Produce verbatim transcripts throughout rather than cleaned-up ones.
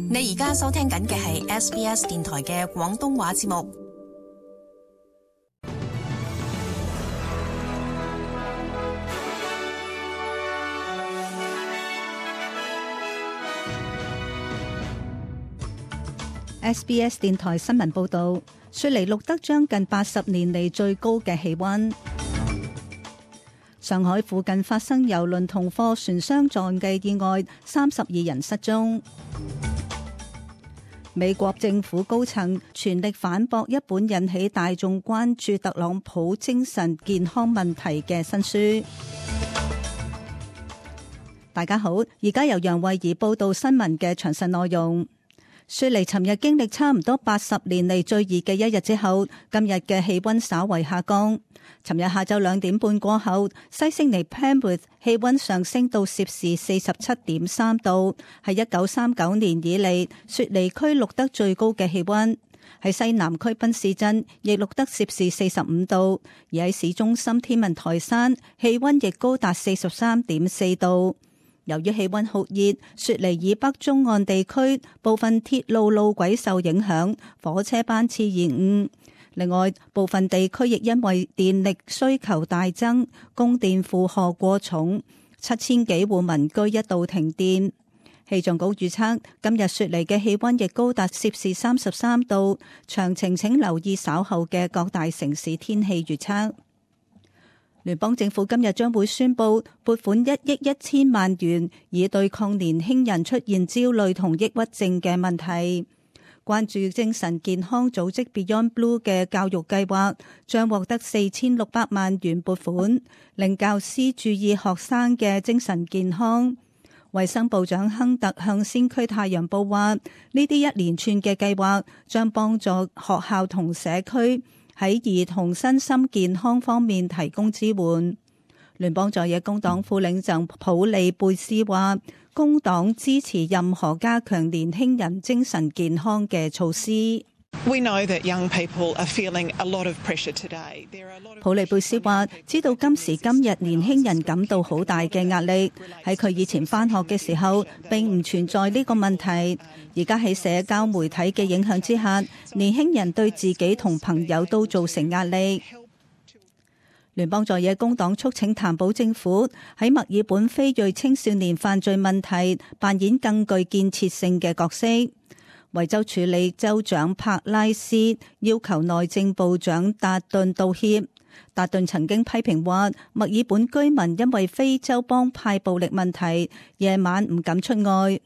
你而家收聽緊嘅係 S B S 電台嘅廣東話節目。S B S 電台新聞報道，雪梨錄得將近八十年嚟最高嘅氣溫。上海附近發生郵輪同貨船相撞嘅意外，三十二人失蹤。美國政府高層全力反駁一本引起大眾關注特朗普精神健康問題嘅新書。大家好，而家由楊慧儀報道新聞嘅詳細內容。雪梨尋日經歷差唔多八十年嚟最熱嘅一日之後，今日嘅氣溫稍為下降。尋日下晝兩點半過後，西悉尼 Penrith 氣溫上升到攝氏四十七點三度，係一九三九年以嚟雪梨區錄得最高嘅氣溫。喺西南區賓士鎮亦錄得攝氏四十五度，而喺市中心天文台山氣溫亦高達四十三點四度。由於氣溫酷熱，雪梨以北中岸地區部分鐵路路軌受影響，火車班次延誤。另外，部分地區亦因為電力需求大增，供電負荷過重，七千幾戶民居一度停電。氣象局預測今日雪梨嘅氣溫亦高達攝氏三十三度。詳情請留意稍後嘅各大城市天氣預測。聯邦政府今日將會宣布撥款一億一千萬元，以對抗年輕人出現焦慮同抑鬱症嘅問題。關注精神健康組織 Beyond Blue 嘅教育計劃將獲得四千六百萬元撥款，令教師注意學生嘅精神健康。衛生部長亨特向先驅太陽報話，呢啲一連串嘅計劃將幫助學校同社區喺兒童身心健康方面提供支援。聯邦在野工黨副領袖普利貝斯話，工黨支持任何加強年輕人精神健康嘅措施。We know that young people are feeling a lot of pressure today. 普利貝斯話，知道今時今日年輕人感到好大嘅壓力，喺佢以前返學嘅時候並唔存在呢個問題，而家喺社交媒體嘅影響之下，年輕人對自己同朋友都造成壓力。聯邦在野工黨促請譚堡政府喺墨爾本非裔青少年犯罪問題扮演更具建設性嘅角色。維州處理州長帕拉斯要求內政部長達頓道歉。達頓曾經批評話，墨爾本居民因為非洲幫派暴力問題，夜晚唔敢出外。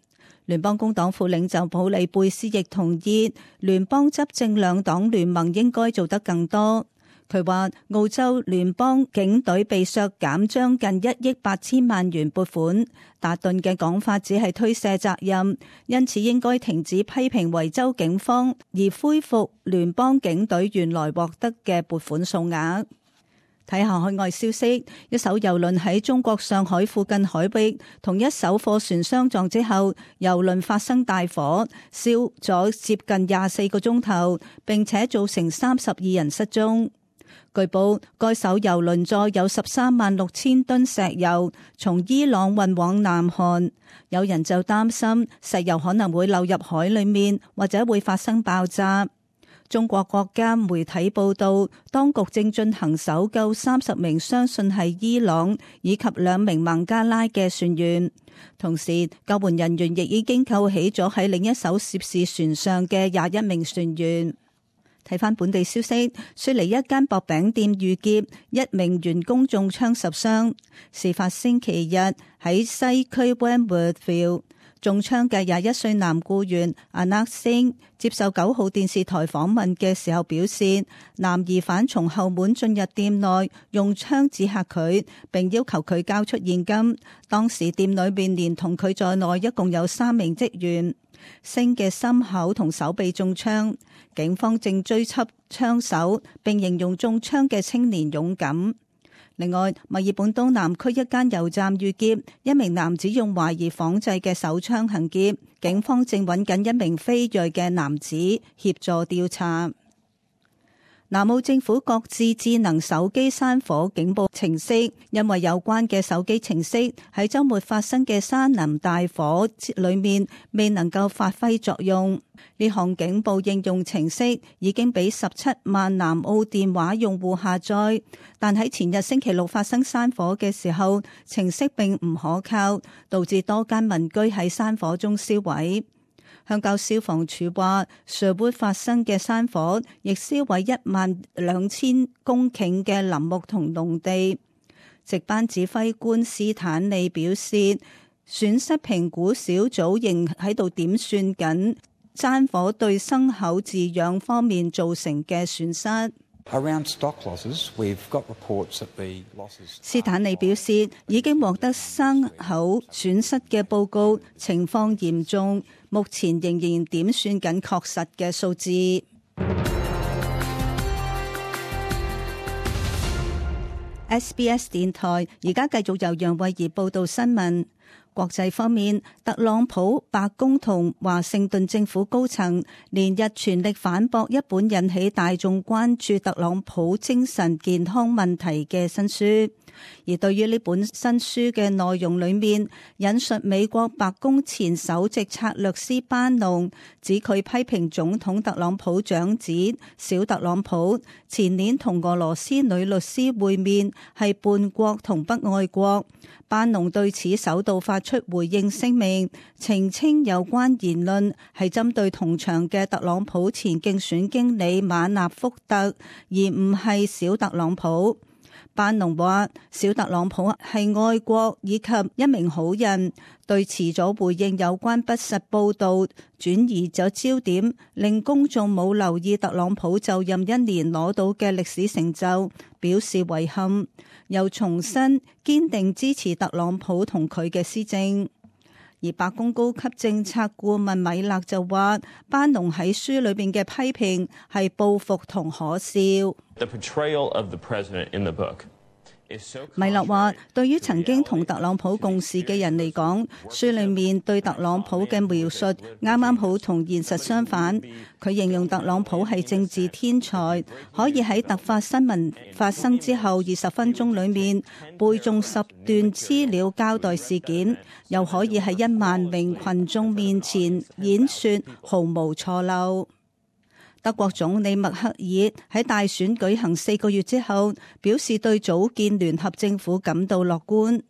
聯邦工黨副領袖普利貝斯亦同意，聯邦執政兩黨聯盟應該做得更多。佢話澳洲聯邦警隊被削減將近一億八千萬元撥款，達頓嘅講法只係推卸責任，因此應該停止批評維州警方，而恢復聯邦警隊原來獲得嘅撥款數額。睇下海外消息，一艘郵輪喺中國上海附近海域同一艘貨船相撞之後，郵輪發生大火，燒咗接近廿四個鐘頭，並且造成三十二人失蹤。據報，該艘郵輪載有十三萬六千噸石油，從伊朗運往南韓。有人就擔心石油可能會流入海裡面，或者會發生爆炸。中國國家媒體報道，當局正進行搜救三十名相信係伊朗以及兩名孟加拉嘅船員，同時救援人員亦已經救起咗喺另一艘涉事船上嘅廿一名船員。睇返本地消息，雪梨一間薄餅店遇劫，一名員工中槍受傷。事發星期日喺西區 Wentworthville， 中槍嘅廿一歲男僱員阿納星接受九號電視台訪問嘅時候表示，男疑犯從後門進入店內，用槍指嚇佢，並要求佢交出現金。當時店裏面連同佢在內一共有三名職員。星嘅心口同手臂中槍，警方正追緝槍手，並形容中槍嘅青年勇敢。另外，墨爾本東南區一間油站遇劫，一名男子用懷疑仿製嘅手槍行劫，警方正揾緊一名非裔嘅男子協助調查。南澳政府各自智能手機山火警報程式，因為有關嘅手機程式喺週末發生嘅山林大火裏面未能夠發揮作用。呢項警報應用程式已經俾十七萬南澳電話用戶下載，但喺前日星期六發生山火嘅時候，程式並唔可靠，導致多間民居喺山火中燒毀。鄉郊消防處話，Sherwood發生嘅山火亦燒毀一萬兩千公頃嘅林木同農地。值班指揮官斯坦利表示，損失評估小組仍喺度點算緊山火對牲口飼養方面造成嘅損失。斯坦利表示，已經獲得牲口損失嘅報告，情況嚴重，目前仍然點算緊確實嘅數字。S B S 電台而家繼續由楊慧儀報道新聞。國際方面，特朗普、白宮同華盛頓政府高層連日全力反駁一本引起大眾關注特朗普精神健康問題嘅新書。而對於呢本新書嘅內容裏面引述美國白宮前首席策略師班農，指佢批評總統特朗普長子小特朗普前年同俄羅斯女律師會面係叛國同不愛國。班農對此首度發出回應聲明，澄清有關言論係針對同場嘅特朗普前競選經理馬納福特，而唔係小特朗普。班農話，小特朗普係愛國以及一名好人，對遲咗回應有關不實報導，轉移咗焦點，令公眾冇留意特朗普就任一年攞到嘅歷史成就，表示遺憾，又重申堅定支持特朗普同佢嘅施政。而白宮高級政策顧問米勒就話，班農喺書裏邊嘅批評係報復同可笑。米勒話，對於曾經同特朗普共事嘅人嚟講，書裏面對特朗普嘅描述啱啱好同現實相反。佢形容特朗普係政治天才，可以喺突發新聞發生之後二十分鐘裏面背誦十段資料交代事件，又可以喺一萬名群眾面前演說毫無錯漏。德國總理默克爾喺大選舉行四個月之後，表示對組建聯合政府感到樂觀。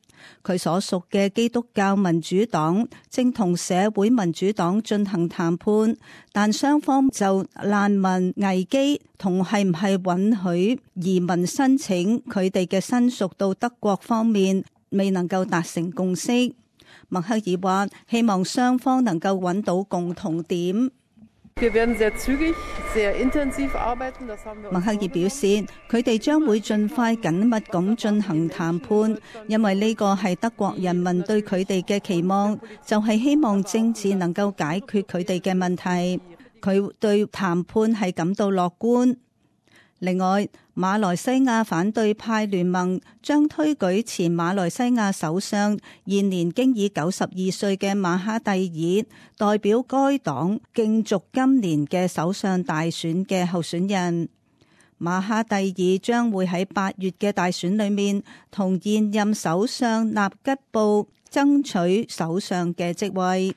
佢所屬嘅基督教民主黨正同社會民主黨進行談判，但雙方就難民危機同係唔係允許移民申請佢哋嘅申屬到德國方面未能夠達成共識。默克爾話，希望雙方能夠揾到共同點。默克爾表示，佢哋將會盡快緊密咁進行談判，因為呢個係德國人民對佢哋嘅期望，就係希望政治能夠解決佢哋嘅問題。佢對談判係感到樂觀。另外，馬來西亞反對派聯盟將推舉前馬來西亞首相現年經已九十二歲嘅馬哈蒂爾代表該黨競逐今年嘅首相大選嘅候選人。馬哈蒂爾將會喺八月嘅大選裏面同現任首相納吉布爭取首相嘅職位。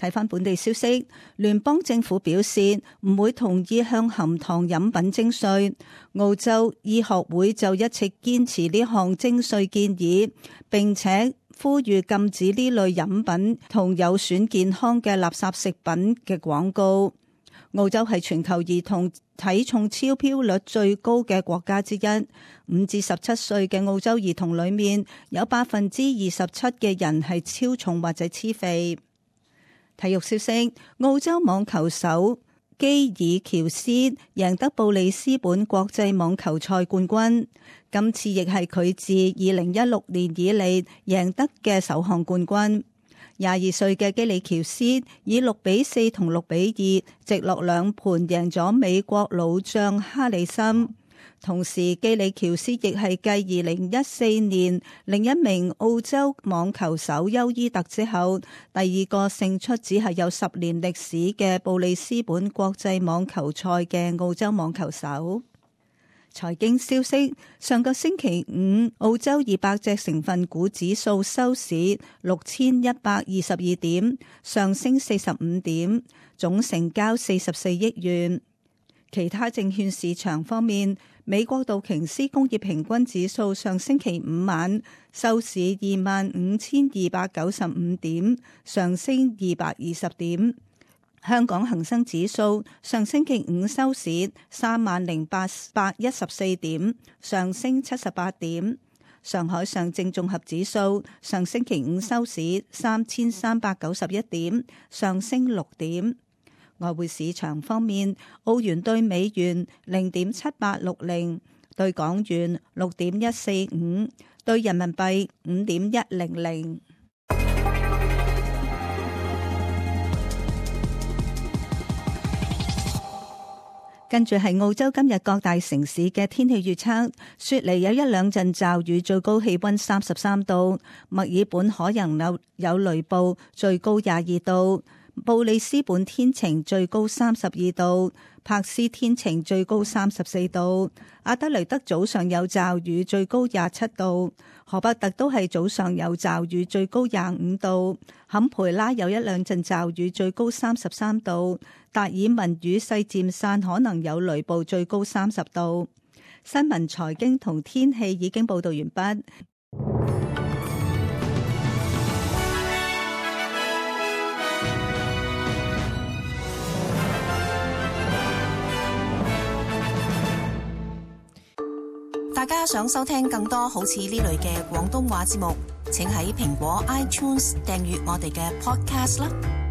睇返本地消息，聯邦政府表示唔會同意向含糖飲品徵稅。澳洲醫學會就一直堅持呢項徵稅建議，並且呼籲禁止呢類飲品同有損健康嘅垃圾食品嘅廣告。澳洲係全球兒童體重超標率最高嘅國家之一，五至十七歲嘅澳洲兒童裏面有百分之二十七嘅人係超重或者癡肥。體育消息，澳洲網球手基爾喬斯贏得布里斯本國際網球賽冠軍，今次亦係佢自二零一六年以嚟贏得嘅首項冠軍。廿二歲嘅基里喬斯以六比四同六比二直落兩盤贏咗美國老將哈里森。同時基里喬斯亦係繼二零一四年另一名澳洲網球手邱伊特之後，第二個勝出只係有十年歷史嘅布里斯本國際網球賽嘅澳洲網球手。財經消息，上個星期五澳洲二百隻成分股指數收市六千一百二十二點，上升四十五點，總成交四十四億元。其他證券市場方面，美國道瓊斯工業平均指數上星期五晚收市二萬五千二百九十五點，上升二百二十點。香港恒生指數上星期五收市三萬零八百一十四點，上升七十八點。上海上證綜合指數上星期五收市三千三百九十一點，上升六點。外匯市場方面，澳元兌美元零點七八六零，兌港元六點一四五，兌人民幣五點一零零。跟住係澳洲今日各大城市嘅天氣預測：雪梨有一兩陣驟雨，最高氣溫三十三度；墨爾本可能有有雷暴，最高廿二度。布里斯本天晴，最高三十二度；柏斯天晴，最高三十四度；阿德雷德早上有驟雨，最高廿七度；荷伯特都係早上有驟雨，最高廿五度；坎培拉有一兩陣驟雨，最高三十三度；達爾文雨勢漸散，可能有雷暴，最高三十度。新聞、財經同天氣已經報道完畢。大家想收聽更多好似呢類嘅廣東話節目，請喺蘋果 iTunes 訂閱我哋嘅 Podcast 啦。